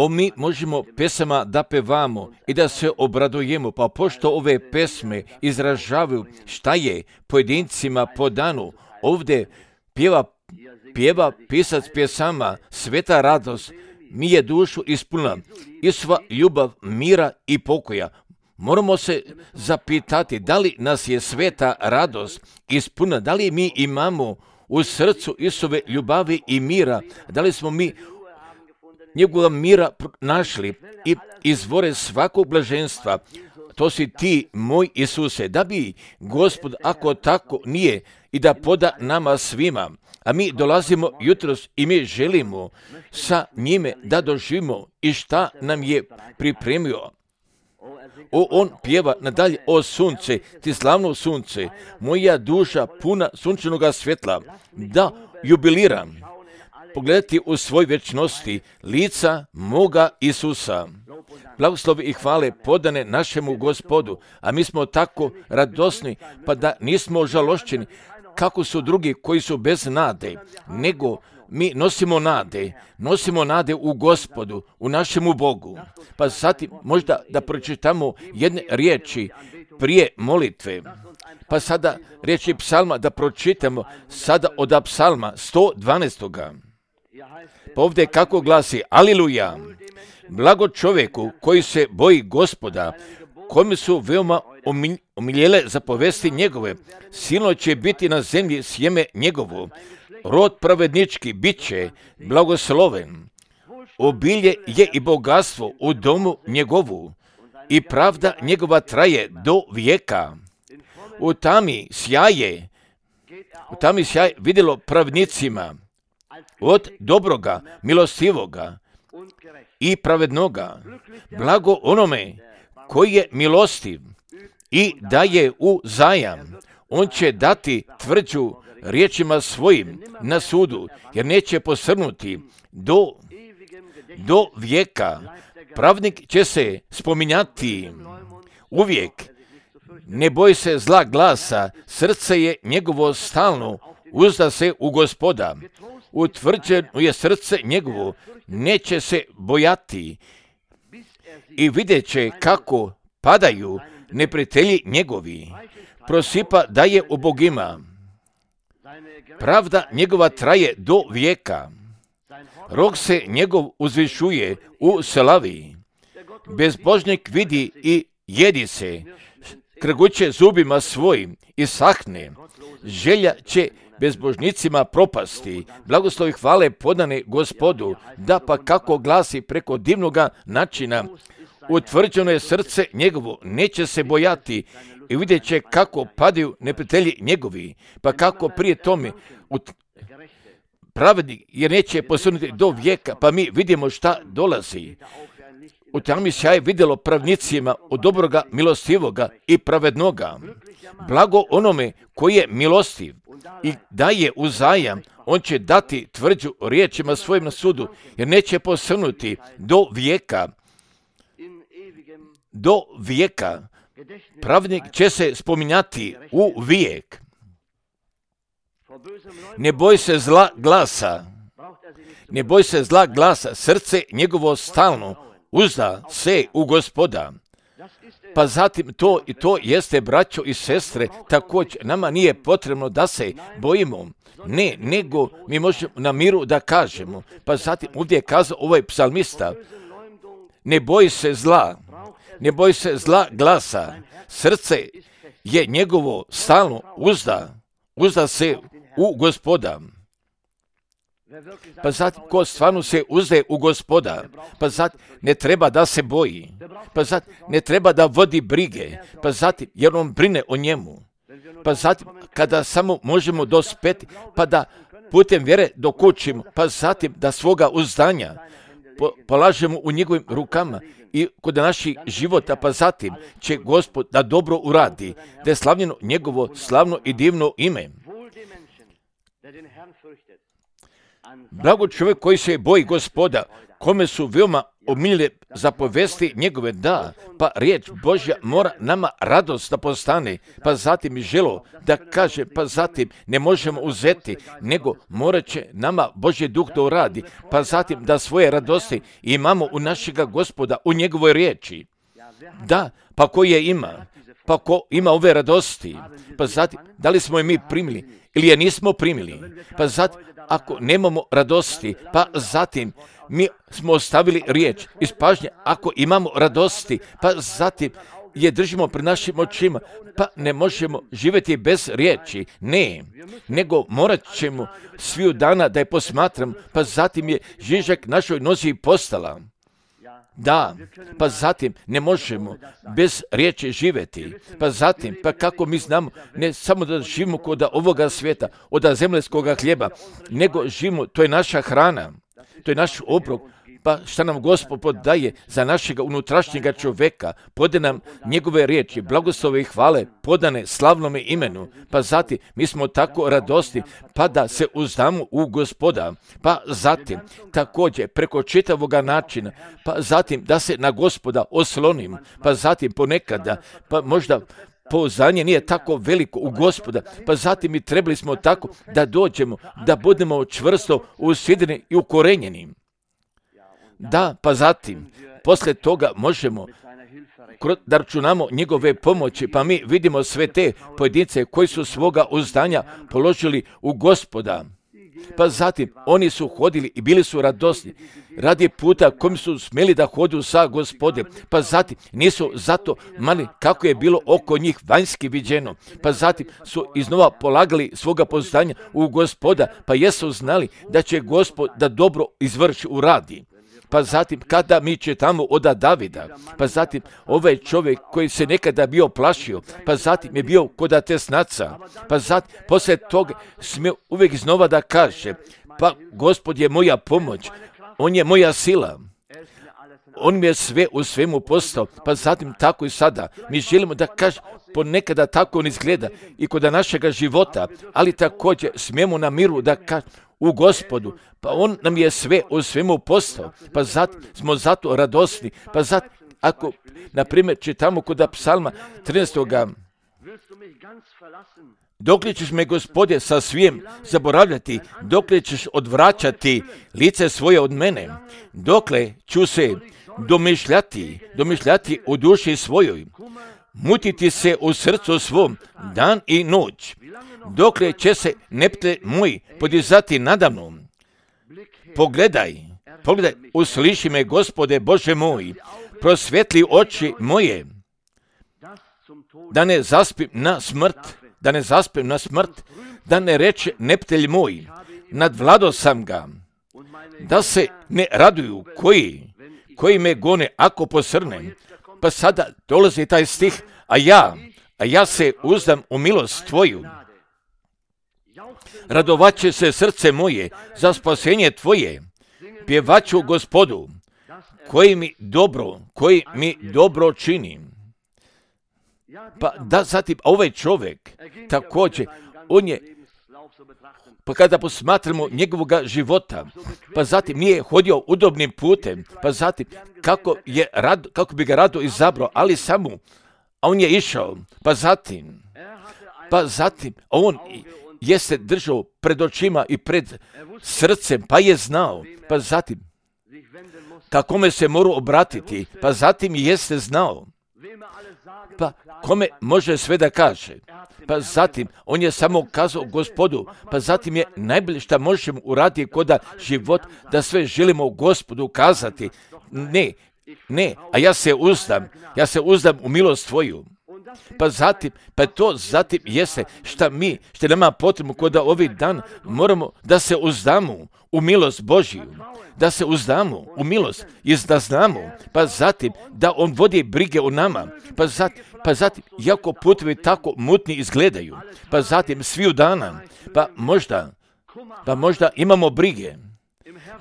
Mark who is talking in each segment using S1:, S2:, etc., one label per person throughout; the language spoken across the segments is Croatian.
S1: Mi možemo pesama da pevamo i da se obradujemo, pa pošto ove pesme izražavaju šta je pojedincima po danu, ovdje pjeva pisac pjesama, sveta radost mi je dušu ispunila, i sva ljubav, mira i pokoja. Moramo se zapitati da li nas je sveta radost ispunila, da li mi imamo u srcu Isove ljubavi i mira, da li smo mi njegova mira našli i izvore svakog blaženstva. To si ti, moj Isuse, da bi Gospod, ako tako nije, i da poda nama svima, a mi dolazimo jutros i mi želimo sa njime da doživimo i šta nam je pripremio. On pjeva nadalje: o sunce, ti slavno sunce, moja duša puna sunčanoga svjetla, da jubiliram, pogledati u svoj vječnosti lica moga Isusa. Blagoslovi i hvale podane našemu Gospodu, a mi smo tako radosni, pa da nismo žalošćeni kako su drugi koji su bez nade, nego mi nosimo nade u Gospodu, u našemu Bogu. Pa zatim možda da pročitamo jedne riječi prije molitve. Pa sada riječi psalma da pročitamo sada od psalma 112. Pa ovdje kako glasi: Aliluja! Blago čovjeku koji se boji Gospoda, kome su veoma omiljele zapovesti njegove. Silno će biti na zemlji sjeme njegovo. Rod pravednički bit će blagosloven. Obilje je i bogatstvo u domu njegovu, i pravda njegova traje do vijeka. U tami sjaje vidjelo pravednicima, od dobroga, milostivoga i pravednoga. Blago onome koji je milostiv i daje u zajam. On će dati tvrđu riječima svojim na sudu, jer neće posrnuti do vijeka. Pravnik će se spominjati uvijek. Ne boji se zla glasa, srce je njegovo stalno, uzda se u Gospoda. Utvrđeno je srce njegovo, neće se bojati. I vidjet će kako padaju neprijatelji njegovi. Prosipa daje ubogima. Pravda njegova traje do vijeka. Rok se njegov uzvišuje u slavi. Bezbožnik vidi i jedi se. Krguće zubima svojim i sahne. Želja će bezbožnicima propasti. Blagoslovi hvale podane Gospodu, da pa kako glasi preko divnoga načina. Utvrđeno je srce njegovo, neće se bojati, i vidjet će kako padaju neprijatelji njegovi, pa kako prije tome pravednik jer neće posrnuti do vijeka, pa mi vidimo šta dolazi. U tami sjaj vidjelo pravnicima od dobroga, milostivoga i pravednoga. Blago onome koji je milostiv i daje u zajam, on će dati tvrđu riječima svojim na sudu, jer neće posrnuti do vijeka. Do vijeka. Pravnik će se spominjati u vijek. Ne boj se zla glasa, srce njegovo stalno, uzda se u Gospoda. Pa zatim to jeste, braćo i sestre, također nama nije potrebno da se bojimo. Ne, nego mi možemo na miru da kažemo. Pa zatim ovdje je kazao ovaj psalmista: ne boj se zla glasa, srce je njegovo stalno, uzda se u Gospoda. Pa zatim, ko stvarno se uzde u Gospoda, pa zatim ne treba da se boji, pa zatim ne treba da vodi brige, pa zatim jer on brine o njemu, pa zatim kada samo možemo dospeti, pa da putem vjere dokučimo, pa zatim da svoga uzdanja polažemo u njegovim rukama i kod naših života, pa zatim će Gospod da dobro uradi, da je slavljeno njegovo slavno i divno ime. Blago čovjek koji se boji Gospoda, kome su veoma omiljene zapovesti njegove, da, pa riječ Božja mora nama radost da postane, pa zatim i želo da kaže, pa zatim ne možemo uzeti, nego morat će nama Božji duh da uradi, pa zatim da svoje radosti imamo u našega Gospoda, u njegovoj riječi. Da, pa ko je ima? Pa ko ima ove radosti? Pa zatim, da li smo je mi primili ili je nismo primili? Pa zatim, ako nemamo radosti, pa zatim mi smo ostavili riječ iz pažnje, ako imamo radosti, pa zatim je držimo pred našim očima, pa ne možemo živjeti bez riječi, ne, nego morat ćemo sviju dana da je posmatram, pa zatim je žižak našoj nozi postala. Da, pa zatim ne možemo bez riječi živjeti, pa zatim, pa kako mi znamo, ne samo da živimo kod ovoga svijeta, od zemaljskoga hljeba, nego živimo, to je naša hrana, to je naš obrok, pa šta nam Gospod podaje za našega unutrašnjega čovjeka, pode nam njegove riječi, blagoslove i hvale, podane slavnome imenu, pa zatim mi smo tako radosti, pa da se uzdamo u Gospoda, pa zatim također preko čitavoga načina, pa zatim da se na Gospoda oslonim, pa zatim ponekada, pa možda pouzdanje nije tako veliko u Gospoda, pa zatim i trebali smo tako da dođemo, da budemo čvrsto usidreni i ukorenjeni. Da, pa zatim, poslije toga možemo da računamo njegove pomoći, pa mi vidimo sve te pojedince koji su svoga uzdanja položili u Gospoda. Pa zatim, oni su hodili i bili su radosni radi puta kojim su smjeli da hodu sa Gospodem. Pa zatim, nisu zato mali kako je bilo oko njih vanjski viđeno. Pa zatim su iznova polagali svoga pouzdanja u Gospoda, pa jesu znali da će Gospod da dobro izvrši uradi. Pa zatim, kada mi čitamo od Davida, pa zatim ovaj čovjek koji se nekada bio plašio, pa zatim je bio kod tesnaca, pa zatim poslije toga smije uvijek iznova da kaže, pa Gospod je moja pomoć, on je moja sila, on mi je sve u svemu postao, pa zatim tako i sada. Mi želimo da kaže, ponekada tako on izgleda i kod našega života, ali također smijemo na miru da kaže, u Gospodu, pa on nam je sve u svemu postao, pa zatim smo zato radosni, pa zatim, ako, na primjer, čitamo kod psalma 13. Dokle ćeš me, Gospode, sa svijem zaboravljati, dokle ćeš odvraćati lice svoje od mene, dokle ću se domišljati u duši svojoj, mutiti se u srcu svom dan i noć, dokle će se neptelj moj podizati nadamnom. Pogledaj, usliši me, Gospode Bože moj, prosvetli oči moje, da ne zaspim na smrt, da ne reče neptelj moj, nadvlado sam ga, da se ne raduju koji me gone ako posrnem. Pa sada dolazi taj stih, a ja se uzdam u milost tvoju. Radovaće se srce moje za spasenje tvoje, pjevaću Gospodu, koji mi dobro čini. Pa da zatim ovaj čovjek također, on je, pa kada posmatramo njegovoga života, pa zatim nije hodio udobnim putem, pa zatim kako bi ga rado izabrao, ali samo, a on je išao, pa zatim on je se držao pred očima i pred srcem, pa je znao, pa zatim kakome se mora obratiti, pa zatim jeste znao, pa kome može sve da kaže, pa zatim on je samo kazao Gospodu, pa zatim je najbolje što možemo uraditi kod život, da sve želimo Gospodu kazati, ne, a ja se uzdam u milost tvoju. Pa to zatim jeste što nama potrebno kod ovih dan, moramo da se uzdamo u milost Božiju, da se uzdamo u milost i da znamo, pa zatim da on vodi brige o nama, pa zatim jako putevi tako mutni izgledaju, pa zatim sviju dana, pa možda imamo brige,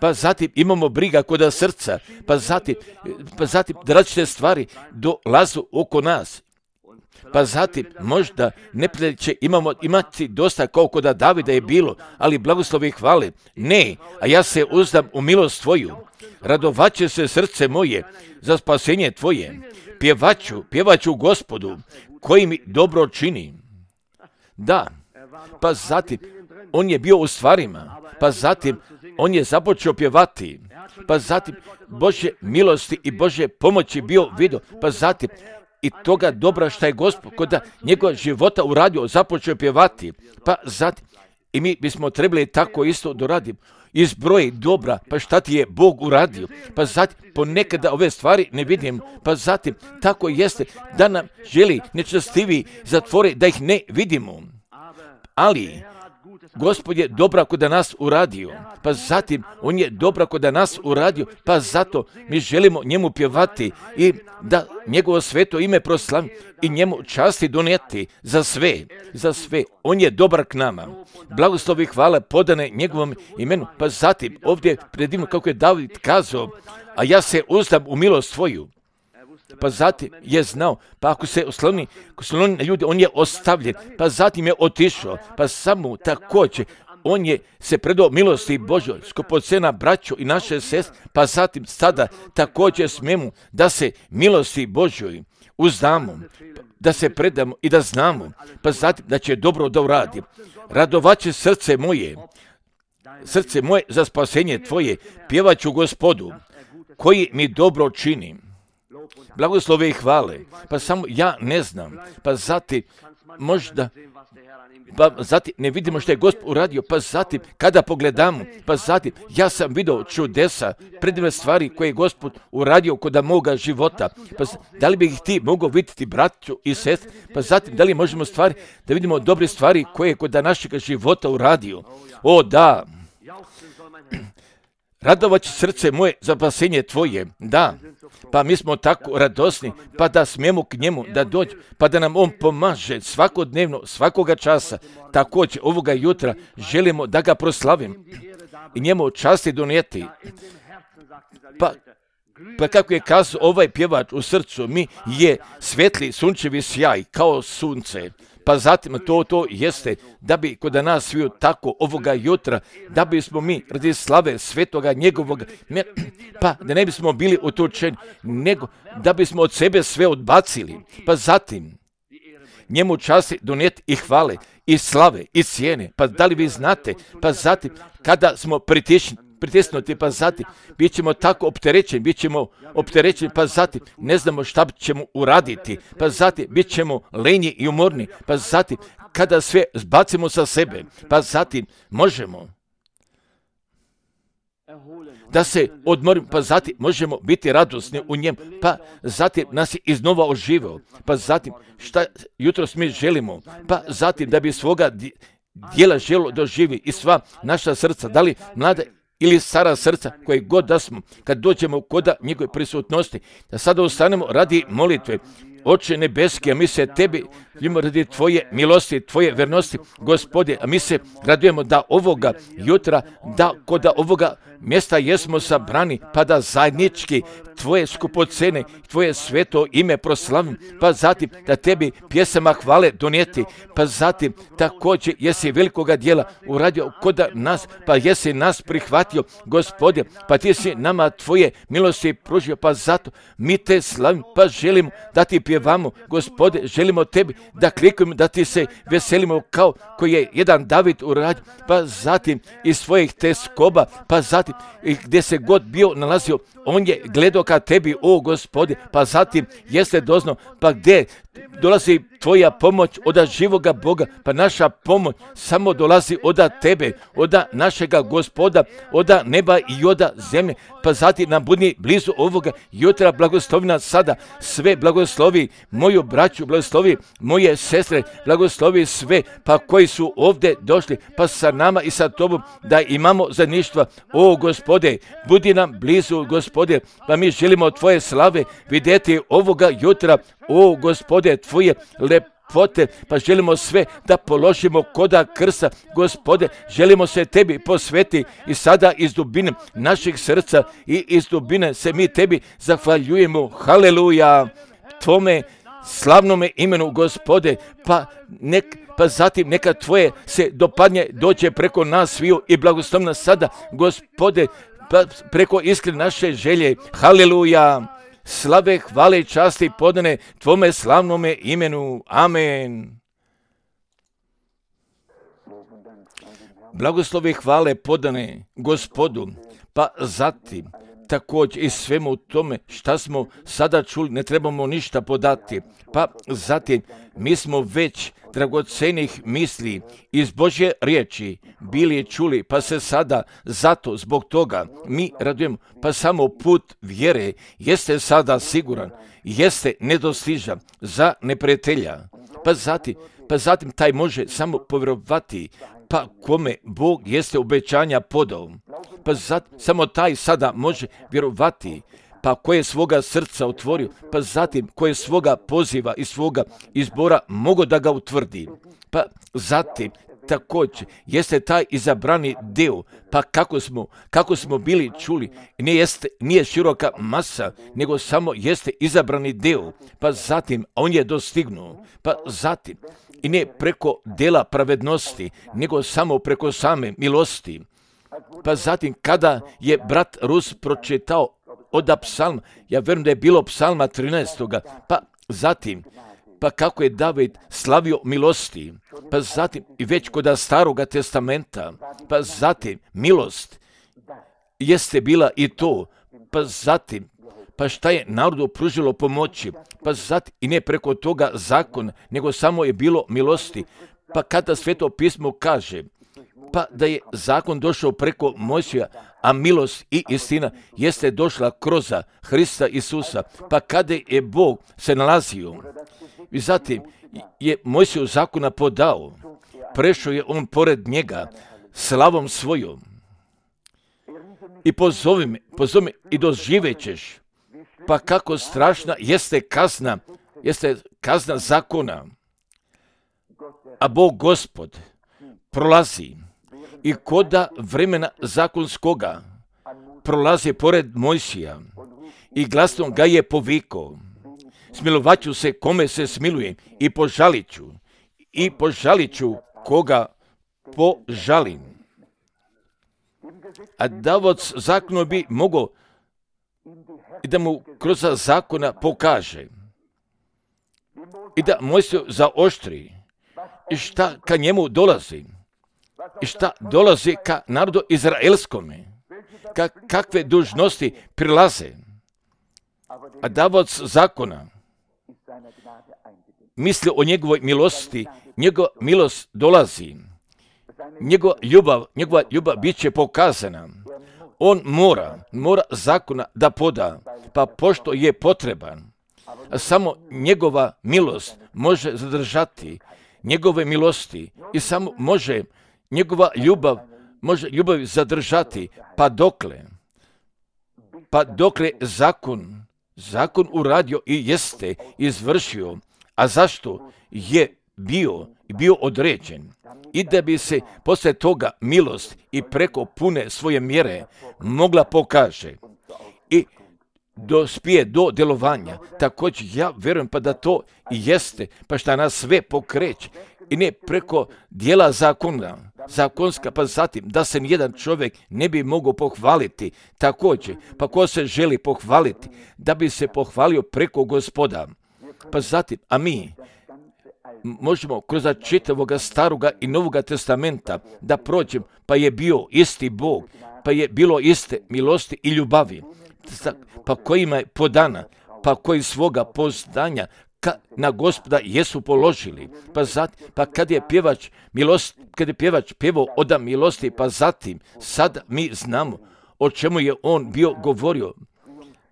S1: pa zatim imamo briga kod srca, pa zatim da različite stvari dolazu oko nas. Pa zatim, možda neprijatelj će imati dosta kao kod Davida je bilo, ali blagoslovi i hvale. Ne, a ja se uzdam u milost tvoju. Radovaće se srce moje za spasenje tvoje. Pjevaću Gospodu, koji mi dobro čini. Da, pa zatim, on je bio u stvarima, pa zatim, on je započeo pjevati, pa zatim, Božje milosti i Božje pomoći bio vidio, pa zatim, i toga dobra šta je Gospod kod njegova života uradio, započeo pjevati, pa zatim, i mi bismo trebali tako isto doraditi. Izbroji dobra, pa šta ti je Bog uradio, pa zatim ponekada ove stvari ne vidim, pa zatim tako jeste da nam želi nečastivi zatvori da ih ne vidimo, ali Gospod je dobra kod nas uradio, pa zatim on je dobra kod nas uradio, pa zato mi želimo njemu pjevati i da njegovo sveto ime proslavi i njemu časti donijeti za sve. On je dobar k nama. Blagoslovi i hvala podane njegovom imenu, pa zatim ovdje predivno kako je David kazao, a ja se uzdam u milost tvoju. Pa zatim je znao, pa ako se osloni na ljudi, on je ostavljen, pa zatim je otišao, pa samo također, on je se predao milosti Božoj, skupocena braćo i naše sestre, pa zatim sada također smemo da se milosti Božoj uzdamo, da se predamo i da znamo, pa zatim da će dobro da uradi. Radovaće srce moje za spasenje tvoje, pjevaću Gospodu, koji mi dobro čini. Blagoslove i hvale, pa samo ja ne znam, pa zatim možda, pa zatim ne vidimo što je Gospod uradio, pa zatim kada pogledamo, pa zatim ja sam vidio čudesa, predivne stvari koje je Gospod uradio kod moga života, pa da li bi ih ti mogao vidjeti braću i sestre, pa zatim da li možemo stvari, da vidimo dobre stvari koje je kod našeg života uradio. O da, radovaće srce moje za spasenje tvoje, da, pa mi smo tako radosni, pa da smijemo k njemu da dođe, pa da nam on pomaže svakodnevno, svakoga časa, također ovoga jutra želimo da ga proslavim i njemu časti donijeti. Pa kako je kazao ovaj pjevač u srcu, mi je svetli sunčevi sjaj kao sunce. Pa zatim to jeste da bi kod nas sviju tako ovoga jutra, da bismo mi radi slave svetoga njegovog, pa da ne bismo bili utučeni, nego da bismo od sebe sve odbacili. Pa zatim njemu časti donijeti i hvale, i slave, i cijene. Pa da li vi znate, pa zatim kada smo pritisnuti, pa zatim bit ćemo tako opterećeni, pa zatim ne znamo šta ćemo uraditi, pa zatim bit ćemo lenji i umorni, pa zatim kada sve zbacimo sa sebe, pa zatim možemo da se odmorimo, pa zatim možemo biti radosni u njem, pa zatim nas je iznova oživio, pa zatim šta jutros mi želimo, pa zatim da bi svoga dijela želo doživi i sva naša srca, da li mlada ili stara srca, koje god da smo, kad dođemo kod njegove prisutnosti, da sada ostanemo radi molitve. Oče nebeski, a mi se tebi ljubimo radi tvoje milosti, tvoje vernosti, Gospode, a mi se radujemo da ovoga jutra, da kod ovoga mjesta jesmo sabrani, pa da zajednički tvoje skupocene, tvoje sveto ime proslavim, pa zatim da tebi pjesama hvale donijeti, pa zatim također jesi velikoga djela uradio kod nas, pa jesi nas prihvatio, Gospode, pa ti si nama tvoje milosti pružio, pa zato mi te slavim, pa želimo da ti pjevamo, Gospode, želimo tebi da klikujemo, da ti se veselimo kao koji je jedan David uradio, pa zatim iz svojih teskoba, pa zatim i gdje se god bio nalazio, on je gledao ka tebi, o Gospode, pa zatim jeste doznao, pa gdje dolazi tvoja pomoć od živoga Boga, pa naša pomoć samo dolazi od tebe, od našega Gospoda, od neba i od zemlje, pa zatim nam budi blizu ovoga jutra, blagoslovi nas sada, sve blagoslovi moju braću, blagoslovi moje sestre, blagoslovi sve, pa koji su ovdje došli, pa sa nama i sa tobom, da imamo zajedništva, o Gospode, budi nam blizu, Gospode, pa mi želimo tvoje slave vidjeti ovoga jutra, o Gospode, tvoje lepote, pa želimo sve da položimo koda krsta, Gospode, želimo se tebi posveti i sada iz dubine naših srca i iz dubine se mi tebi zahvaljujemo, haleluja, tvome slavnome imenu Gospode, pa zatim neka Tvoje se dopadnje dođe preko nas sviju i blagoslovi nas sada, Gospode, pa preko iskrene naše želje. Haleluja! Slave, hvale i časti podane Tvome slavnome imenu. Amen. Blagoslovi hvale podane Gospodu, pa zatim također i svemu tome šta smo sada čuli, ne trebamo ništa podati. Pa zatim mi smo već dragocenih misli iz Božje riječi bili čuli, pa se sada zato zbog toga mi radujemo. Pa samo put vjere jeste sada siguran, jeste nedostižan za neprijatelja. Pa zatim taj može samo povjerovati, pa kome Bog jeste obećanja podao. Pa samo taj sada može vjerovati, pa koje svoga srca otvorio, pa zatim koje svoga poziva i svoga izbora mogu da ga utvrdi. Pa zatim također jeste taj izabrani dio, pa kako smo bili čuli, nije široka masa, nego samo jeste izabrani dio, pa zatim on je dostignuo, pa zatim i ne preko dela pravednosti, nego samo preko same milosti. Pa zatim kada je brat Rus pročitao od psalma, ja vjerujem da je bilo psalma 13. Pa zatim, pa kako je David slavio milosti, pa zatim i već kod Staroga testamenta, pa zatim milost jeste bila i to, pa zatim, pa šta je narodu pružilo pomoći, pa zatim i ne preko toga zakon, nego samo je bilo milosti. Pa kada Sveto pismo kaže, pa da je zakon došao preko Mojsija, a milost i istina jeste došla kroz Hrista Isusa. Pa kada je Bog se nalazio, i zatim je Mojsiju zakona podao, prešao je on pored njega slavom svojom. I pozovi me i doživećeš, pa kako strašna jeste kazna zakona. A Bog Gospod prolazi i koda vremena zakonskoga prolazi pored Mojsija i glasno ga je povikao. Smilovat ću se kome se smilujem i požalit ću koga požalim. A davac zakonu bi mogao da mu kroz zakona pokaže i da Mojsiju zaoštri i šta ka njemu dolazi i šta dolazi ka narodu izraelskome, kakve dužnosti prilaze. A davac zakona misli o njegovoj milosti, njegova milost dolazi, njegova ljubav bit će pokazana. On mora zakona da poda, pa pošto je potreban, a samo njegova milost može zadržati njegove milosti i samo može njegova ljubav zadržati, pa dokle zakon uradio i jeste izvršio, a zašto je bio određen, i da bi se poslije toga milost i preko pune svoje mjere mogla pokaže i dospije do djelovanja. Također ja vjerujem pa da to i jeste, pa šta nas sve pokreće i ne preko dijela zakonska, pa zatim da se nijedan čovjek ne bi mogao pohvaliti. Također, pa ko se želi pohvaliti, da bi se pohvalio preko Gospoda. Pa zatim, a mi možemo kroz čitavoga Staroga i Novoga testamenta da prođemo, pa je bio isti Bog, pa je bilo iste milosti i ljubavi, pa kojima je podana, pa koji svoga poznanja na Gospoda jesu položili. Pa kad je pjevač pjevao od milosti, pa zatim sad mi znamo o čemu je on bio govorio.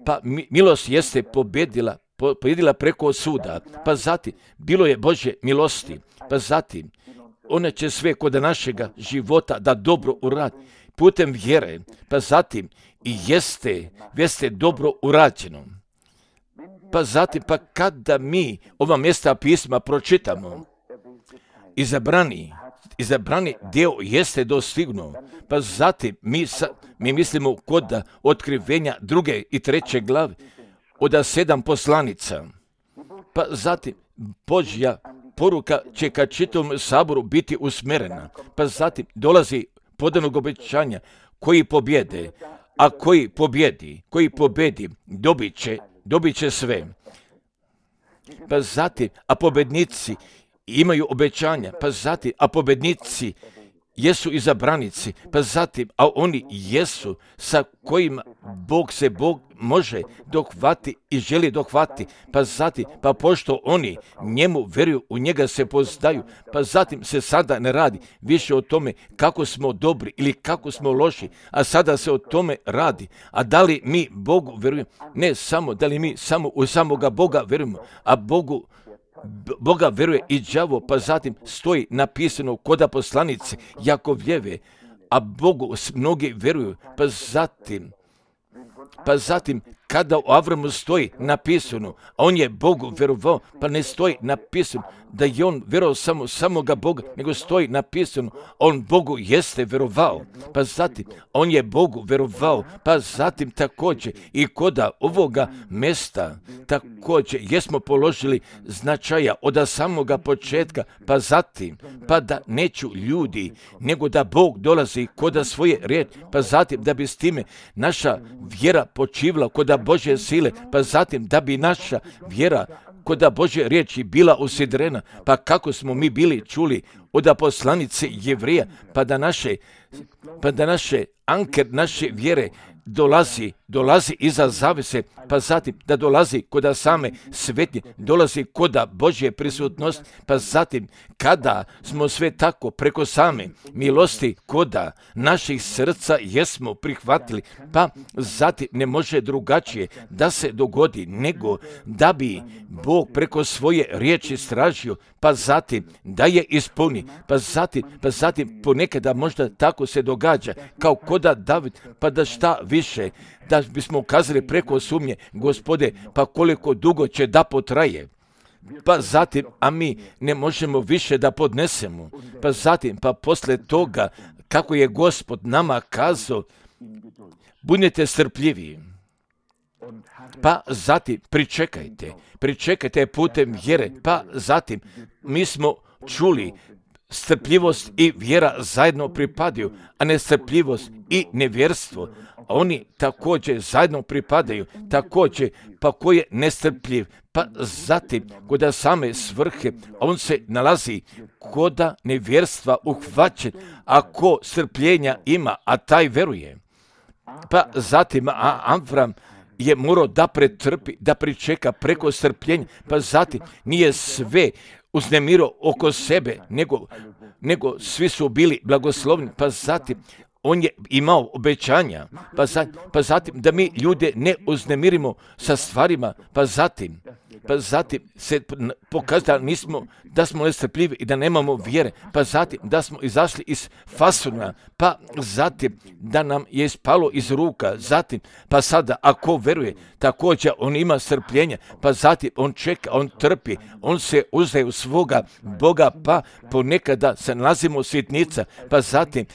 S1: Pa milost jeste pobjedila preko suda, pa zatim bilo je Božje milosti, pa zatim ona će sve kod našega života da dobro uradi putem vjere, pa zatim i jeste dobro urađeno. Pa zatim, pa kada mi ova mjesta pisma pročitamo, izabrani dio jeste dostignuo, pa zatim mi mislimo kod otkrivenja 2. i 3. glave od 7 poslanica. pa zatim Božja poruka će ka čitavom saboru biti usmjerena, pa zatim dolazi podanog obećanja koji pobjede, a koji pobjedi, dobit će sve. Pa zatim, a pobjednici imaju obećanja, pa zatim, a pobjednici jesu izabranici, pa zatim, a oni jesu sa kojima Bog može dohvati i želi dohvati, pa zatim, pa pošto oni njemu vjeruju, u njega se poznaju, pa zatim se sada ne radi više o tome kako smo dobri ili kako smo loši, a sada se o tome radi. A da li mi Bogu vjerujemo? Ne samo da li mi samo u samoga Boga vjerujemo, a Boga vjeruje i đavo, pa zatim stoji napisano kod poslanice Jakovljeve, a Bogu mnogi vjeruju, pa zatim kada u Avramu stoji napisano, a on je Bogu vjerovao, pa ne stoji napisano da je on vjerovao samoga Boga, nego stoji napisano, on Bogu jeste vjerovao, pa zatim on je Bogu vjerovao, pa zatim također i kod ovoga mjesta također jesmo položili značaja od samoga početka, pa zatim, pa da neću ljudi, nego da Bog dolazi kod svoje riječi, pa zatim da bi s time naša vjera počivala kod Božje sile, pa zatim da bi naša vjera kod Božje riječi bila usidrena, pa kako smo mi bili čuli od poslanice Jevrija, pa da naše anker naše vjere dolazi iza zavese, pa zatim da dolazi kod same svetnje, dolazi kod Božje prisutnosti, pa zatim kada smo sve tako preko same milosti kod naših srca jesmo prihvatili, pa zatim ne može drugačije da se dogodi nego da bi Bog preko svoje riječi stražio, pa zatim da je ispuni, pa zatim ponekada možda tako se događa kao kod David, pa da šta više, da bismo ukazali preko sumnje, Gospode, pa koliko dugo će da potraje, pa zatim, a mi ne možemo više da podnesemo, pa zatim, pa posle toga, kako je Gospod nama kazao, budite strpljivi, pa zatim pričekajte putem vjere, pa zatim mi smo čuli strpljivost i vjera zajedno pripadaju, a nestrpljivost i nevjerstvo, oni također zajedno pripadaju, također, pa ko je nestrpljiv, pa zatim kod same svrhe, on se nalazi kod nevjerstva uhvaćen, a ko strpljenja ima, a taj veruje. Pa zatim, a Avram je morao da pretrpi, da pričeka preko strpljenja, pa zatim nije sve uznemirao oko sebe, nego svi su bili blagoslovni, pa zatim on je imao obećanja, pa zatim da mi ljude ne uznemirimo sa stvarima, pa zatim se pokazalo da smo nestrpljivi i da nemamo vjere, pa zatim da smo izašli iz fasuna, pa zatim da nam je ispalo iz ruka, zatim pa sada ako veruje, također on ima strpljenja, pa zatim on čeka, on trpi, on se uzdaje u svoga Boga, pa ponekada se nalazimo sitnica, pa zatim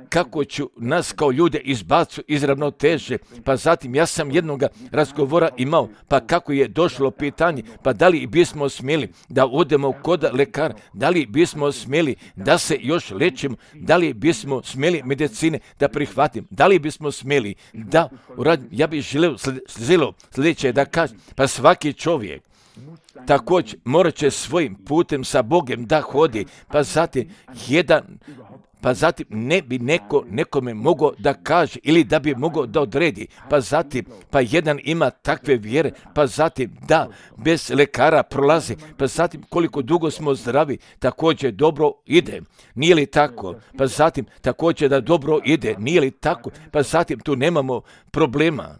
S1: kako ću nas kao ljude izbacu iz ravnoteže, pa zatim ja sam jednoga razgovora imao, pa kako je došlo pitanje, pa da li bismo smjeli da odemo kod lekara, da li bismo smjeli da se još lečimo, da li bismo smjeli medicine da prihvatim, da li bismo smjeli da uradim. Ja bih želeo sljedeće da kažem, pa svaki čovjek također morat će svojim putem sa Bogom da hodi, pa zatim ne bi nekome mogao da kaže ili da bi mogao da odredi, pa jedan ima takve vjere, pa zatim da bez lekara prolazi, pa zatim koliko dugo smo zdravi, također dobro ide, nije li tako, pa zatim također da dobro ide, nije li tako, pa zatim tu nemamo problema,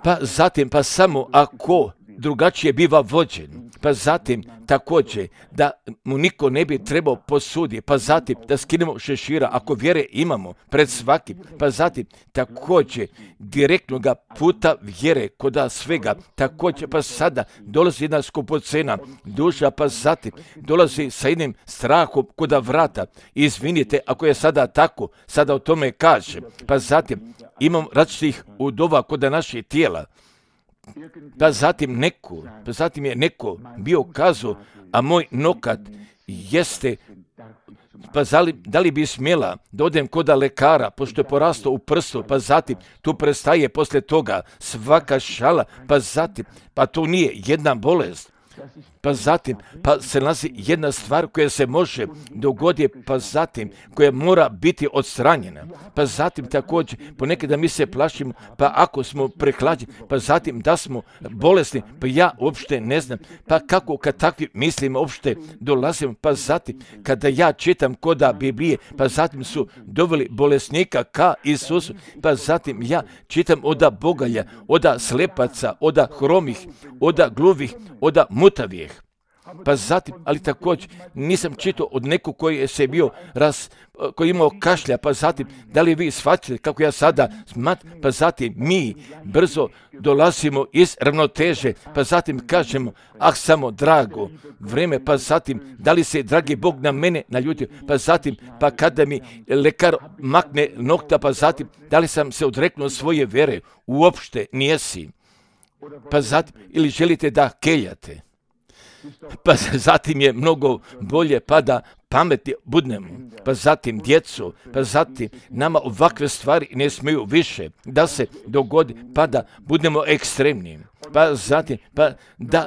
S1: pa zatim pa samo ako drugačije biva vođen, pa zatim također da mu niko ne bi trebao posuditi, pa zatim da skinemo šešira ako vjere imamo pred svakim, pa zatim također direktnoga puta vjere kod svega, također pa sada dolazi jedna skupocena duša, pa zatim dolazi sa jednim strahom kod vrata. Izvinite ako je sada tako, sada o tome kažem, pa zatim imam različitih udova kod naših tijela, Pa zatim je neko bio kazao, a moj nokat jeste, pa da li bi smjela da odem kod lekara, pošto je porastao u prstu, pa zatim tu prestaje posle toga svaka šala, pa to nije jedna bolest. Pa zatim, pa se nalazi jedna stvar koja se može dogoditi, pa zatim, koja mora biti odstranjena. Pa zatim također, ponekada mi se plašimo, pa ako smo prehlađeni, pa zatim da smo bolesni, pa ja uopšte ne znam, pa kako kad takvi mislimo uopšte dolazimo, pa zatim, kada ja čitam koda Biblije, pa zatim su doveli bolesnika ka Isusu, pa zatim ja čitam oda bogalja, oda slepaca, oda hromih, oda gluvih, oda mutavijeh. Pa zatim, ali također nisam čitao od nekog koji je se bio koji je imao kašlja, pa zatim, da li vi shvatili kako ja sada pa zatim mi brzo dolazimo iz ravnoteže, pa zatim kažemo, samo drago vreme, pa zatim, da li se dragi Bog na mene naljutio, pa zatim, pa kada mi lekar makne nokta, pa zatim, da li sam se odreknuo svoje vere, uopšte nijesi, pa zatim, ili želite da keljate. Pa zatim je mnogo bolje pa da pametni budemo, pa zatim djecu, pa zatim nama ovakve stvari ne smiju više da se dogodi, pa da budemo ekstremni. Pa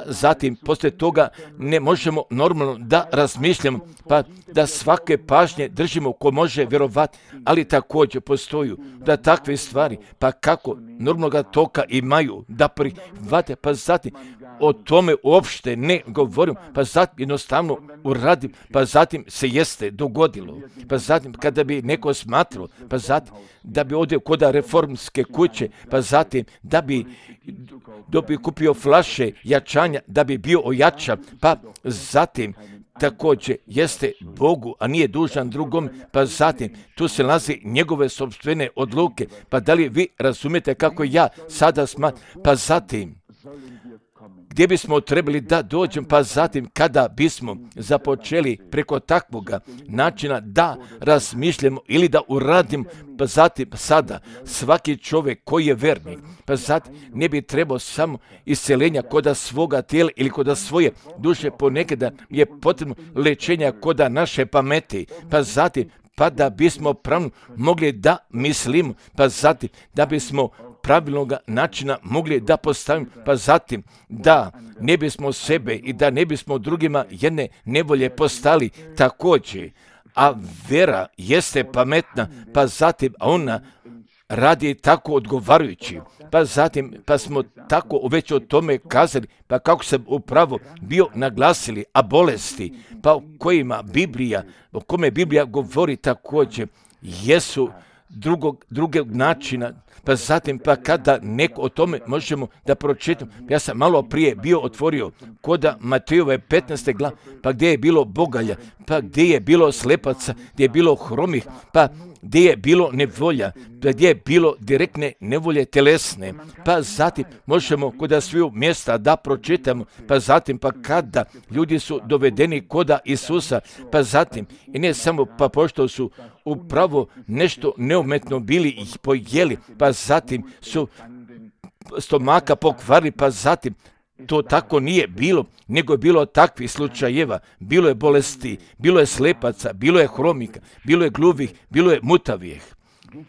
S1: zatim poslije toga ne možemo normalno da razmišljamo, pa da svake pažnje držimo ko može vjerovati, ali također postoju da takve stvari, pa kako normalnog toka imaju da prihvate, pa zatim o tome uopšte ne govorim, pa zatim jednostavno uradim, pa zatim se jeste dogodilo. Pa zatim kada bi neko smatrao, pa zatim da bi odio kod reformske kuće, pa zatim da bi kupio flaše jačanja, da bi bio ojačan, pa zatim također jeste Bogu, a nije dužan drugom, pa zatim tu se nalazi njegove sopstvene odluke, pa da li vi razumijete kako ja sada smatram, pa zatim gdje bismo trebali da dođemo, pa zatim kada bismo započeli preko takvoga načina da razmišljamo ili da uradimo, pa zatim sada svaki čovjek koji je vernik, pa zatim ne bi trebao samo isceljenja koda svoga tijela ili koda svoje duše, ponekada je potrebno lečenja koda naše pameti, pa zatim pa da bismo pravno mogli da mislimo, pa zatim da bismo pravilnog načina mogli da postavimo, pa zatim da ne bismo sebe i da ne bismo drugima jedne nevolje postali također. A vera jeste pametna, pa zatim ona radi tako odgovarajući, pa zatim pa smo tako već o tome kazali, pa kako sam upravo bio naglasili, a bolesti, pa o kome Biblija govori također, jesu drugog načina, pa zatim pa kada neko o tome možemo da pročitamo. Ja sam malo prije bio otvorio koda Matejove 15. glave, pa gdje je bilo bogalja, pa gdje je bilo slepaca, gdje je bilo hromih, pa gdje je bilo nevolja, pa gdje je bilo direktne nevolje telesne, pa zatim možemo koda sviju mjesta da pročitamo, pa zatim pa kada ljudi su dovedeni koda Isusa, pa zatim i ne samo pa pošto su upravo nešto neumetno bili ih pojeli, pa zatim su stomaka pokvarili, pa zatim to tako nije bilo, nego je bilo takvih slučajeva, bilo je bolesti, bilo je slepaca, bilo je hromika, bilo je gluvih, bilo je mutavijeh,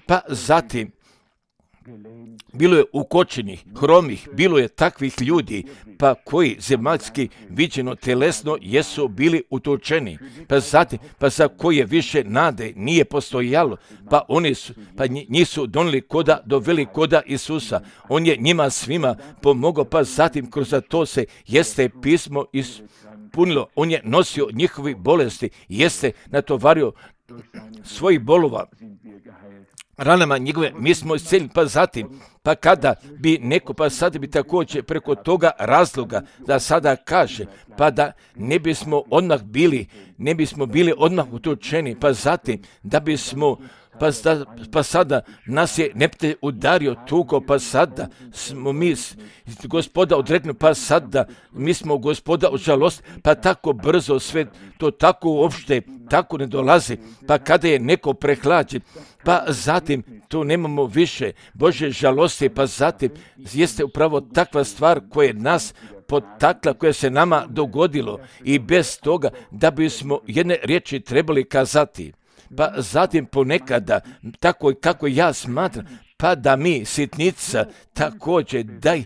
S1: pa zatim bilo je ukočenih, hromih, bilo je takvih ljudi, pa koji zemaljski viđeno telesno jesu bili utočeni, pa zatim, pa za koje više nade nije postojalo, pa njih su doveli koda Isusa, on je njima svima pomogao, pa zatim kroz to se jeste pismo ispunilo, on je nosio njihovi bolesti, jeste natovario svojih bolova, ranama njegove, mi smo isceljeni, pa zatim, pa kada bi neko, pa sada bi također preko toga razloga da sada kaže, pa da ne bismo bili odmah utočeni, pa zatim da bismo pa sada nas je neprijatelj udario, tuko, pa sada smo mi Gospoda odrekli, pa sada mi smo Gospoda u žalost, pa tako brzo sve to tako uopšte, tako ne dolazi, pa kada je neko prehlađen, pa zatim tu nemamo više Bože žalosti, pa zatim jeste upravo takva stvar koja je nas potakla, koja se nama dogodilo i bez toga da bismo jedne riječi trebali kazati. Pa zatim ponekada, tako kako ja smatram, pa da mi sitnica također daj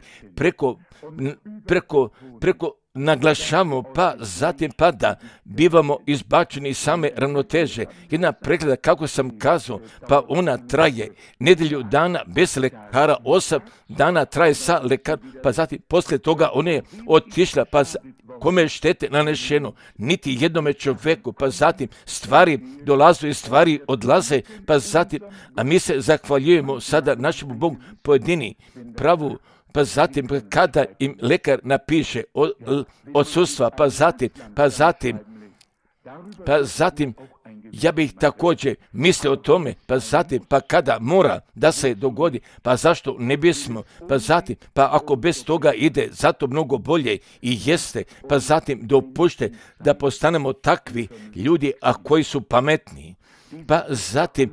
S1: preko naglašamo, pa zatim pa da bivamo izbačeni iz same ravnoteže. Jedna pregleda, kako sam kazao, pa ona traje nedjelju dana bez lekara, 8 dana traje sa lekarom, pa zatim poslije toga ona je otišla, pa kome je štete nanešeno, niti jednome čovjeku, pa zatim stvari dolaze i stvari odlaze, pa zatim, a mi se zahvaljujemo sada našemu Bogu pojedini pravu, pa zatim kada im lekar napiše odsustva, pa zatim ja bih također mislio o tome, pa zatim, pa kada mora da se dogodi, pa zašto ne bismo, pa zatim, pa ako bez toga ide, zato mnogo bolje i jeste, pa zatim dopušte da postanemo takvi ljudi, a koji su pametni, pa zatim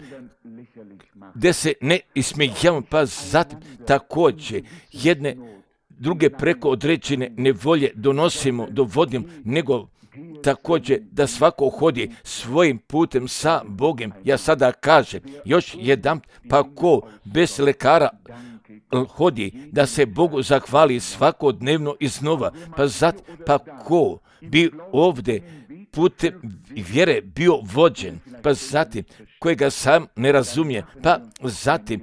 S1: gdje se ne ismijavamo, pa zatim također jedne druge preko određene nevolje dovodimo, nego također da svako hodi svojim putem sa Bogom. Ja sada kažem, još jedan, pa ko bez lekara hodi da se Bogu zahvali svakodnevno iznova, pa ko bi ovdje putem vjere bio vođen, pa zatim kojega sam ne razumije, pa zatim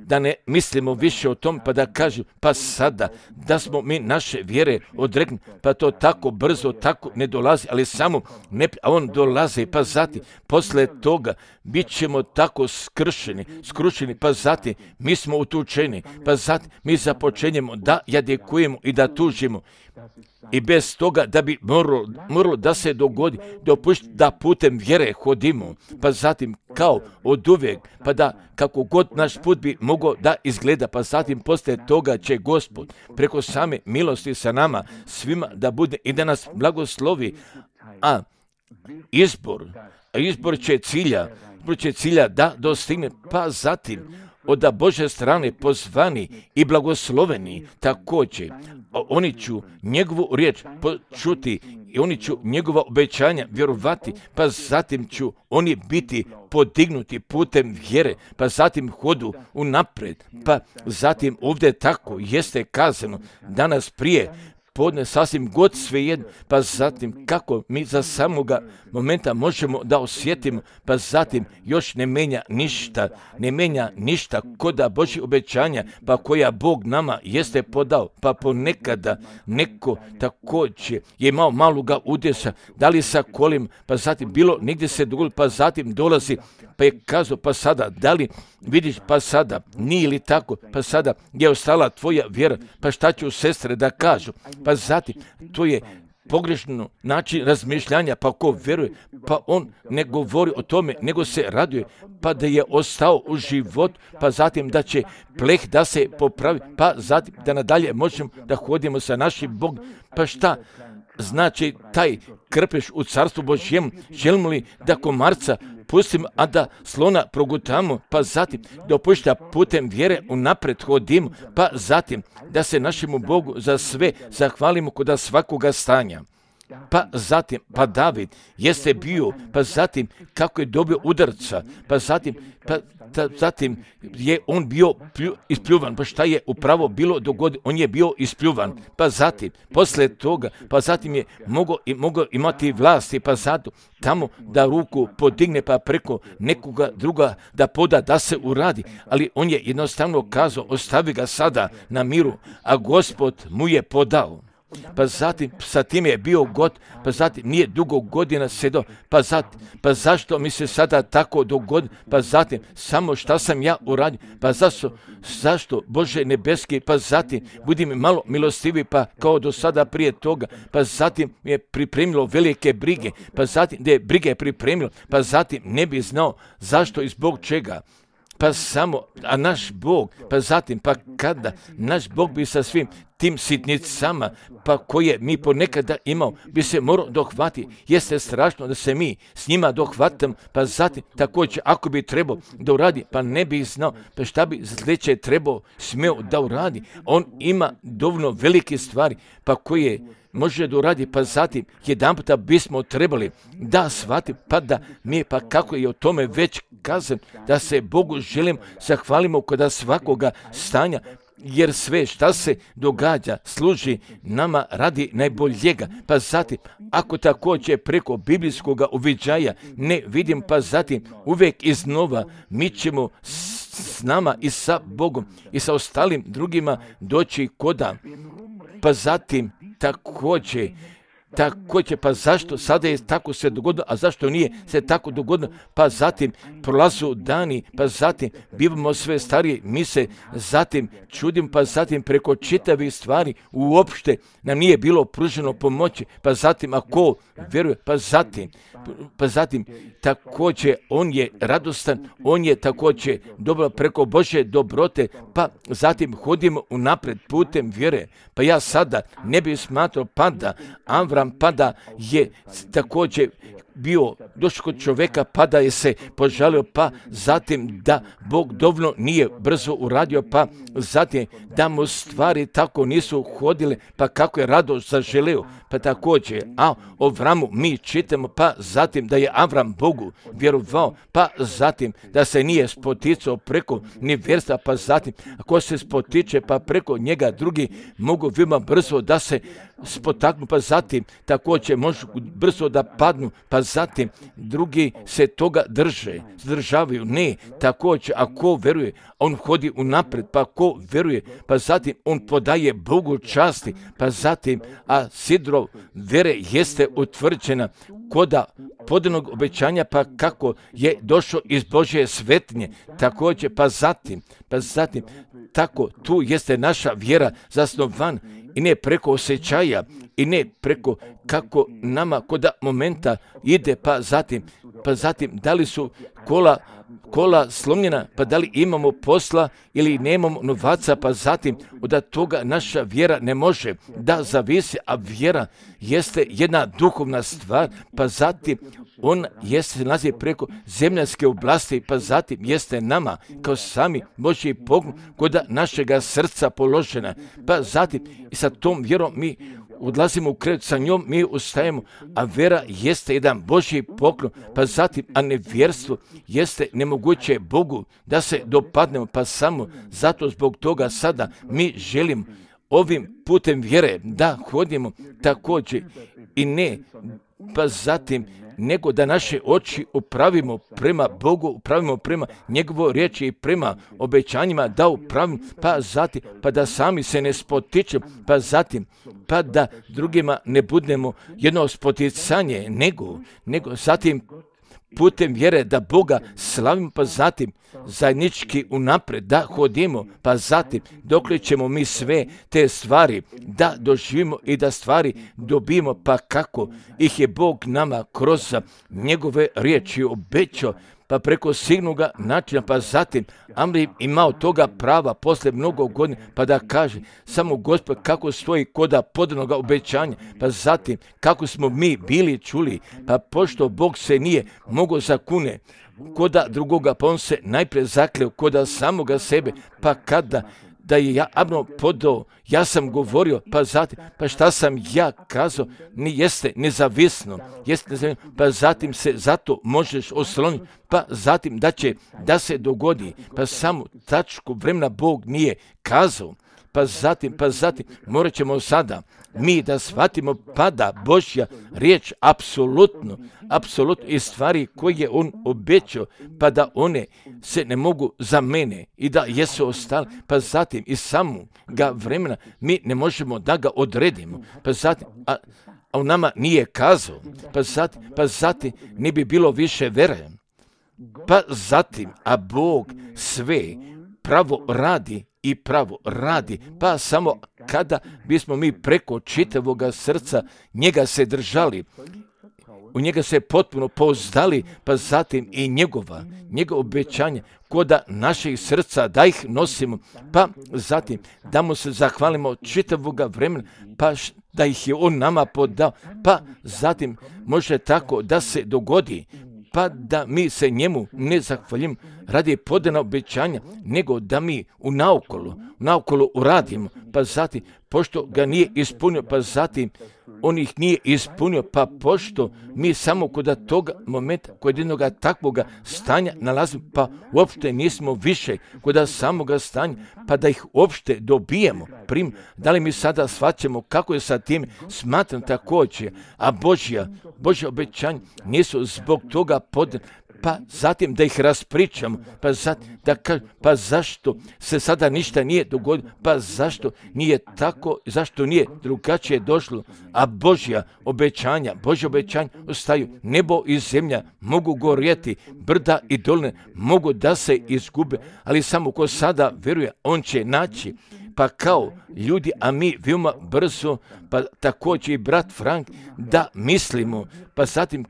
S1: da ne mislimo više o tom, pa da kažem, pa sada da smo mi naše vjere odrekli, pa to tako brzo, tako ne dolazi, ali samo ne, a on dolazi, pa zatim posle toga bit ćemo tako skrušeni, pa zatim mi smo utučeni, pa zatim mi započenjemo da jadikujemo i da tužimo. I bez toga da bi moralo da se dogodi, da putem vjere hodimo, pa zatim kao od uvijek, pa da kako god naš put bi mogao da izgleda, pa zatim poslije toga će Gospod preko same milosti sa nama svima da bude i da nas blagoslovi, a izbor će cilja da dostigne, pa zatim od Bože strane pozvani i blagosloveni također. Oni ću njegovu riječ počuti i oni ću njegova obećanja vjerovati, pa zatim ću oni biti podignuti putem vjere, pa zatim hodu unaprijed, pa zatim ovdje tako jeste kazano danas prije podne sasvim god svejedno, pa zatim kako mi za samoga momenta možemo da osjetimo, pa zatim još ne menja ništa koda Božji obećanja, pa koja Bog nama jeste podao, pa ponekada neko također je imao maloga udesa, da li sa kolim, pa zatim bilo negdje se dogodilo, pa zatim dolazi, pa je kazao, pa sada, da li vidiš, pa sada, nije li tako, pa sada je ostala tvoja vjera, pa šta ću sestre da kažu, pa zatim, to je pogrešno način razmišljanja, pa ko vjeruje, pa on ne govori o tome, nego se raduje, pa da je ostao u život, pa zatim da će pleh da se popravi, pa zatim da nadalje možemo da hodimo sa našim Bogom, pa šta znači taj krpeš u carstvu Božjem, želimo li da komarca pustimo, a da slona progutamo, pa zatim dopušta putem vjere unaprijed hodimo, pa zatim da se našemu Bogu za sve zahvalimo kod svakoga stanja. Pa zatim, pa David jeste bio, pa zatim kako je dobio udarca, pa zatim je on bio ispljuvan, pa šta je upravo bilo dogodi, on je bio ispljuvan, pa zatim, posle toga, pa zatim je mogao imati vlasti, pa zato tamo da ruku podigne, pa preko nekoga druga da poda da se uradi, ali on je jednostavno kazao, ostavi ga sada na miru, a Gospod mu je podao. pa zatim sa tim je bio god, pa zatim nije dugo godina sedao, pa zašto mi se sada tako dogodi, pa zatim samo šta sam ja uradio, pa zašto Bože nebeski, pa zatim budi mi malo milostivi, pa kao do sada prije toga, pa zatim mi je pripremilo velike brige, pa zatim gdje je brige pripremilo, pa zatim ne bi znao zašto i zbog čega. Pa samo, a naš Bog, pa zatim, pa kada naš Bog bi sa svim tim sitnicama, pa koje mi ponekada imao, bi se morao dohvati. Jeste strašno da se mi s njima dohvatam, pa zatim također ako bi trebao da uradi, pa ne bi znao, pa šta bi sljedeće trebao smio da uradi. On ima dovoljno velike stvari, pa koje može da uradi, pa zatim jedan puta bismo trebali da shvati, pa da mi, pa kako je o tome već kazan, da se Bogu želimo zahvalimo kod svakoga stanja, jer sve šta se događa služi nama radi najboljega. Pa zatim, ako također preko biblijskog uviđaja ne vidim, pa zatim uvijek iznova mi ćemo s nama i sa Bogom i sa ostalim drugima doći koda. Pa zatim također, pa zašto sada je tako se dogodilo, a zašto nije se tako dogodilo, pa zatim prolazu dani, pa zatim bivamo sve stariji, mi se zatim čudim, pa zatim preko čitavih stvari uopšte nam nije bilo pruženo pomoći, pa zatim ako vjeruje, pa zatim također on je radostan, on je također dobro preko Božje dobrote, pa zatim hodimo unapred putem vjere. Pa ja sada ne bih smatrao pada Avram, pada je također bio došao kod čovjeka, pa da je se požalio, pa zatim da Bog dovoljno nije brzo uradio, pa zatim da mu stvari tako nisu hodile, pa kako je rado zaželio, pa također, a o Avramu mi čitamo, pa zatim da je Avram Bogu vjerovao, pa zatim da se nije spoticao preko nevjerstva, pa zatim ako se spotiče, pa preko njega drugi mogu veoma brzo da se spotaknu, pa zatim također možu brzo da padnu, pa zatim drugi se toga zadržavaju. Ne, također ako veruje, on hodi unapred, pa ako veruje, pa zatim on podaje Bogu časti, pa zatim, a sidro vere jeste utvrđena koda podanog obećanja, pa kako je došao iz Božje svetnje, također, pa zatim, tako tu jeste naša vjera zasnovan i ne preko osjećaja i ne preko kako nama koda momenta ide, pa zatim da li su kola slomljena, pa da li imamo posla ili nemamo novaca, pa zatim od toga naša vjera ne može da zavisi, a vjera jeste jedna duhovna stvar, pa zatim on jeste se nalazi preko zemljanske oblasti, pa zatim jeste nama kao sami Božji pogled kod našega srca položena, pa zatim i sa tom vjerom mi odlazimo u krevet, sa njom mi ustajemo, a vera jeste jedan Božji poklon, pa zatim, a nevjerstvo jeste nemoguće Bogu da se dopadnemo, pa samo zato zbog toga sada mi želimo ovim putem vjere da hodimo također i ne, pa zatim nego da naše oči upravimo prema Bogu, upravimo prema njegovo riječi i prema obećanjima da upravimo, pa zatim, pa da sami se ne spotičemo, pa zatim, pa da drugima ne budemo jedno spoticanje, nego zatim putem vjere da Boga slavimo, pa zatim zajednički unapred da hodimo, pa zatim dokle ćemo mi sve te stvari da doživimo i da stvari dobijemo, pa kako ih je Bog nama kroz njegove riječi obećao, pa preko signoga načina, pa zatim Amri imao toga prava posle mnogo godina, pa da kaže samo Gospod kako stoji koda podanoga obećanja, pa zatim kako smo mi bili čuli, pa pošto Bog se nije mogao zakune koda drugoga, pa on se najprije zakleo koda samoga sebe, pa kada da je ja Abno podao, ja sam govorio, pa zatim, pa šta sam ja kazao, jeste nezavisno, pa zatim se zato možeš osloniti, pa zatim da će da se dogodi, pa samo tačku vremena Bog nije kazao, pa zatim morat ćemo sada mi da shvatimo pa da Božja riječ apsolutno i stvari koje je on obećao, pa da one se ne mogu za mene i da jesu ostale, pa zatim i samoga vremena mi ne možemo da ga odredimo, pa zatim, a on nama nije kazao, pa zatim ne bi bilo više vere, pa zatim, a Bog sve pravo radi, pa samo kada bismo mi preko čitavoga srca njega se držali, u njega se potpuno pouzdali, pa zatim i njegova obećanja koda naših srca da ih nosimo, pa zatim da mu se zahvalimo čitavoga vremena, pa da ih je on nama podao, pa zatim može tako da se dogodi, pa da mi se njemu ne zahvaljimo radi podana obećanja, nego da mi unaokolo uradimo, pa zatim, pošto ga nije ispunio, pa zatim on ih nije ispunio, pa pošto mi samo kod toga momenta, kod jednog takvoga stanja nalazimo, pa uopšte nismo više kod samoga stanja, pa da ih uopšte dobijemo. Da li mi sada shvaćamo kako je sa tim? Smatram također, a Božja obećanja nisu zbog toga podana, pa zatim da ih raspričamo, pa zatim da kažem, pa zašto se sada ništa nije dogodilo, pa zašto nije tako, zašto nije drugačije došlo, a Božja obećanja ostaju. Nebo i zemlja mogu gorjeti, brda i doline mogu da se izgube, ali samo ko sada vjeruje, on će naći. Pa kao ljudi, a mi veoma brzo, pa također i brat Frank, da mislimo, pa zatim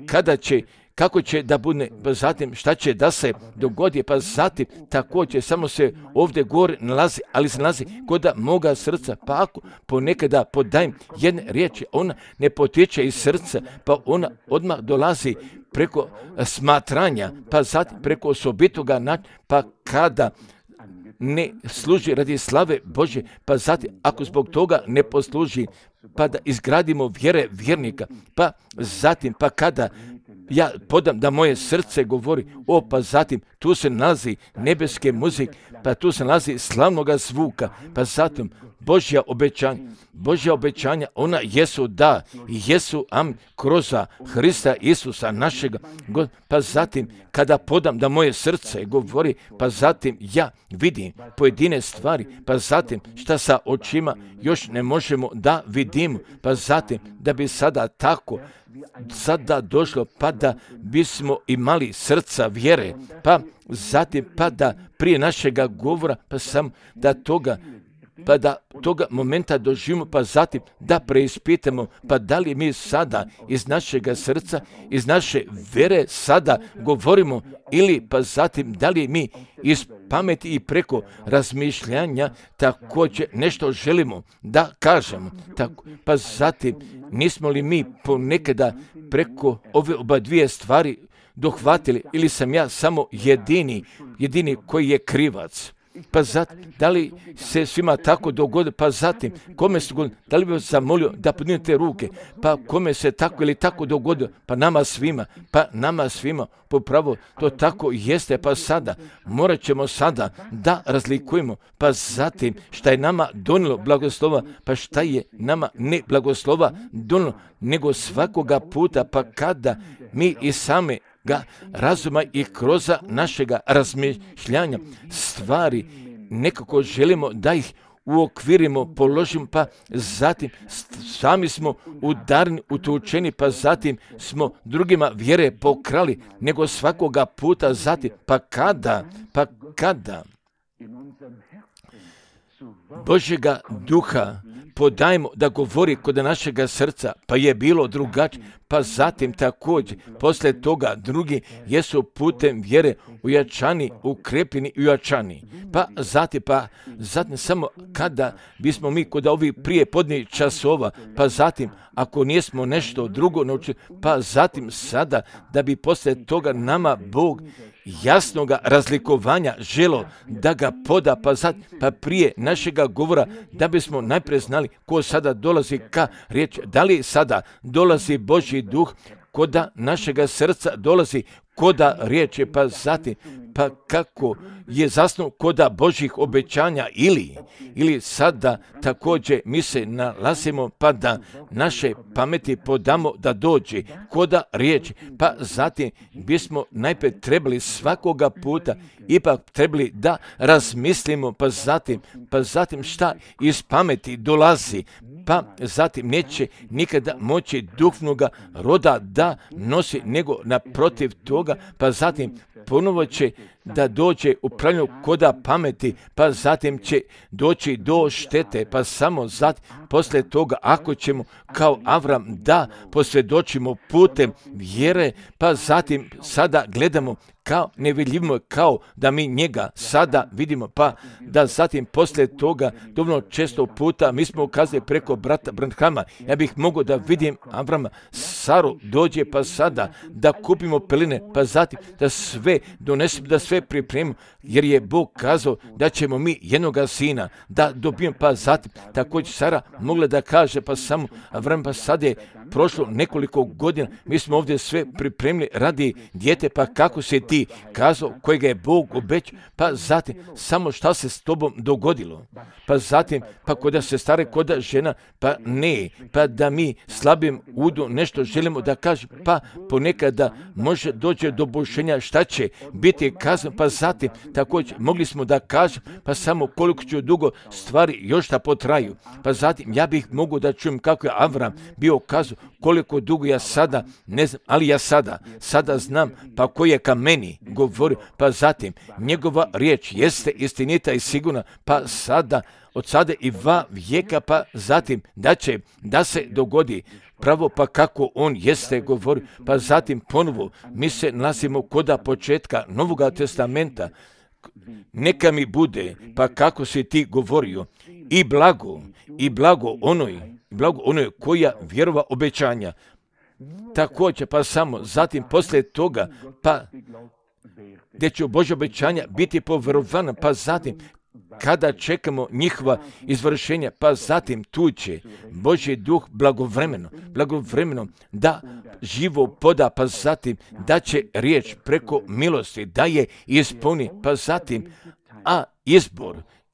S1: kako će da bude, pa zatim šta će da se dogodi, pa zatim također samo se ovdje gore nalazi, ali se nalazi kod moga srca, pa ako ponekada podajem jedne riječi, ona ne potiče iz srca, pa ona odmah dolazi preko smatranja, pa zatim preko osobitoga načina, pa kada ne služi radi slave Bože, pa zatim ako zbog toga ne posluži, pa da izgradimo vjere vjernika, pa zatim, pa kada ja podam da moje srce govori, pa zatim tu se nalazi nebeske muzike, pa tu se nalazi slavnoga zvuka, pa zatim Božja obećanja, ona jesu da i jesu amin kroz Hrista Isusa našega, pa zatim kada podam da moje srce govori, pa zatim ja vidim pojedine stvari, pa zatim šta sa očima još ne možemo da vidimo, pa zatim da bi sada došlo, pa da bismo imali srca vjere, pa zatim pa da prije našega govora, pa sam da toga momenta doživimo, pa zatim da preispitamo, pa da li mi sada iz našega srca, iz naše vjere sada govorimo, ili pa zatim da li mi iz pameti i preko razmišljanja također nešto želimo da kažemo. Pa zatim nismo li mi ponekada preko ove oba dvije stvari dohvatili, ili sam ja samo jedini koji je krivac? Pa zatim, da li se svima tako dogodi, pa zatim, kome se dogodilo, da li bi vas zamolio da podignete ruke, pa kome se tako ili tako dogodilo, pa nama svima, popravo to tako jeste, pa sada, morat ćemo sada da razlikujemo, pa zatim, šta je nama donilo blagoslova, pa šta je nama ne blagoslova donilo, nego svakoga puta, pa kada mi i same ga razuma i kroz našega razmišljanja stvari nekako želimo da ih uokvirimo, položimo, pa zatim sami smo udarni, utučeni, pa zatim smo drugima vjere pokrali, nego svakoga puta zatim, pa kada Božjega duha podajmo da govori kod našega srca, pa je bilo drugačije, pa zatim također, poslije toga drugi jesu putem vjere ujačani, ukrepljeni i ujačani. Pa zatim samo kada bismo mi kod ovih prije podnih časova, pa zatim ako nismo nešto drugo naučili, pa zatim sada da bi poslije toga nama Bog jasnoga razlikovanja želo da ga poda, pa prije našega govora da bismo najprije znali ko sada dolazi ka riječi, da li sada dolazi Božji duh kod našega srca, dolazi koda riječi, pa zatim, pa kako je zasnovan koda Božjih obećanja ili sada također mi se nalazimo pa da naše pameti podamo da dođe koda riječi, pa zatim bismo najprije trebali svakoga puta ipak trebali da razmislimo, pa zatim šta iz pameti dolazi, pa zatim neće nikada moći duhovnoga roda da nosi, nego naprotiv toga, pa zatim ponovo će da dođe upravljanje koda pameti, pa zatim će doći do štete, pa samo zatim poslije toga ako ćemo kao Avram da posvjedočimo putem vjere, pa zatim sada gledamo kao nevidljivo, kao da mi njega sada vidimo, pa da zatim poslije toga dovoljno često puta mi smo ukazali preko brata Branhama, ja bih mogao da vidim Avrama, Saru dođe pa sada da kupimo peline, pa zatim da sve donesemo, da sve pripremimo, jer je Bog kazao da ćemo mi jednoga sina da dobijemo, pa zatim također Sara mogla da kaže, pa samo Avram, pa sada je prošlo nekoliko godina, mi smo ovdje sve pripremili radi dijete, pa kako se ti kazao kojega je Bog obećao, pa zatim samo šta se s tobom dogodilo, pa zatim pa koda se stare, koda žena, pa ne, pa da mi slabim udu nešto želimo da kažem, pa ponekada može doći do bušenja šta će biti kazano, pa zatim također mogli smo da kažem, pa samo koliko će dugo stvari još da potraju, pa zatim ja bih mogu da čujem kako je Avram bio kazao, koliko dugo ja sada ne znam, ali ja sada znam, pa koji je ka meni govorio, pa zatim njegova riječ jeste istinita i sigurna, pa sada od sada i 2 vijeka, pa zatim da će da se dogodi pravo pa kako on jeste govorio, pa zatim ponovo mi se nalazimo koda početka Novoga testamenta, neka mi bude pa kako si ti govorio i blago onoj koja vjerova obećanja. Također pa samo zatim poslije toga pa gdje će Božja obećanja biti povjerovana, pa zatim kada čekamo njihova izvršenja, pa zatim tu će Božji duh blagovremeno da živo poda, pa zatim da će riječ preko milosti da je ispuni, pa zatim a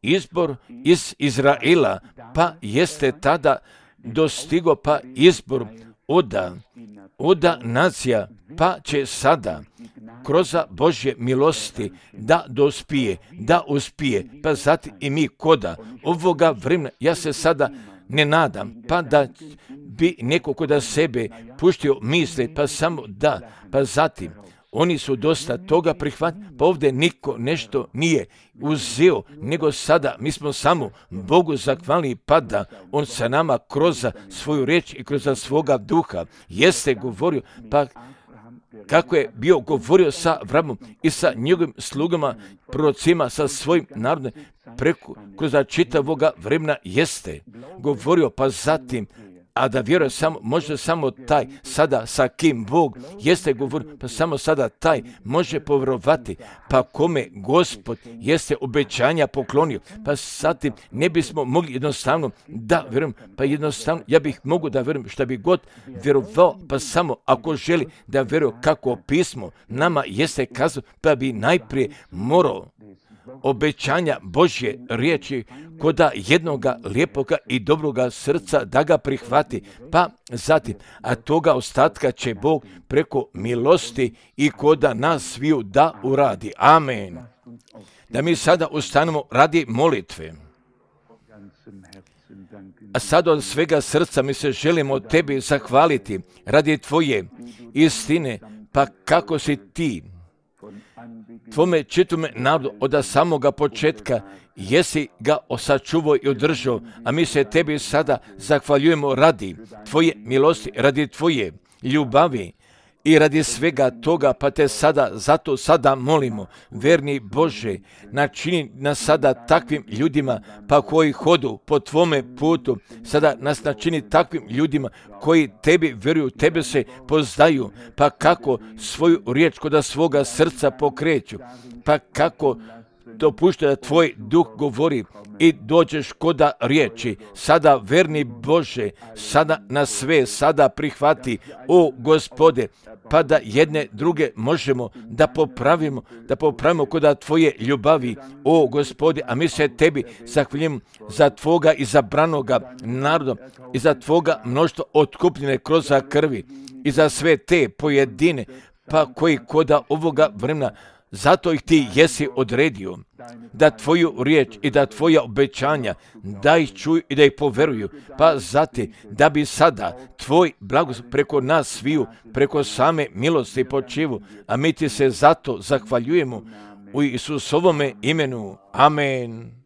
S1: izbor iz Izraela pa jeste tada dostigo, pa izbor oda nacija pa će sada kroz Božje milosti da dospije, da uspije, pa zatim i mi koda ovoga vremena, ja se sada ne nadam, pa da bi neko koda sebe puštio misli, pa samo da, pa zatim oni su dosta toga prihvatili, pa ovdje niko nešto nije uzeo, nego sada mi smo samo Bogu zahvalni, pa da on sa nama kroz svoju riječ i kroz svoga duha jeste govorio, pa kako je bio govorio sa Avramom i sa njegovim slugama, prorocima, sa svojim narodom, kroz čitavoga vremena jeste govorio, pa zatim, a da vjeruje može samo taj sada sa kim Bog jeste govorio, pa samo sada taj može povjerovati, pa kome Gospod jeste obećanja poklonio, pa zatim ne bismo mogli jednostavno da vjerujem, pa jednostavno ja bih mogu da vjerujem šta bi god vjerovao, pa samo ako želi da vjeruje kako pismo nama jeste kazao, pa bi najprije morao obećanja Božje riječi koda jednoga lijepoga i dobroga srca da ga prihvati, pa zatim, a toga ostatka će Bog preko milosti i koda nas sviju da uradi. Amen. Da mi sada ustanemo radi molitve. A sad od svega srca mi se želimo tebi zahvaliti radi tvoje istine, pa kako si ti tvome čitome narodu od samoga početka jesi ga sačuvao i održao, a mi se tebi sada zahvaljujemo radi tvoje milosti, radi tvoje ljubavi i radi svega toga, pa te zato sada molimo, verni Bože, načini nas sada takvim ljudima, pa koji hodu po tvome putu, sada nas načini takvim ljudima koji tebi vjeruju, tebe se poznaju, pa kako svoju riječ koda svoga srca pokreću, pa kako dopušta da tvoj duh govori i dođeš koda riječi. Sada, verni Bože, sada na sve, sada prihvati, o Gospode, pa da jedne druge možemo da popravimo koda tvoje ljubavi, o Gospode, a mi se tebi zahvaljujemo za tvoga izabranoga naroda i za tvoga mnoštvo otkupljene kroz krvi i za sve te pojedine, pa koji koda ovoga vremena, zato ih ti jesi odredio, da tvoju riječ i da tvoja obećanja, da ih čuju i da ih poveruju, pa zati da bi sada tvoj blagoslov preko nas sviju, preko same milosti počivu, a mi ti se zato zahvaljujemo u Isusovome imenu. Amen.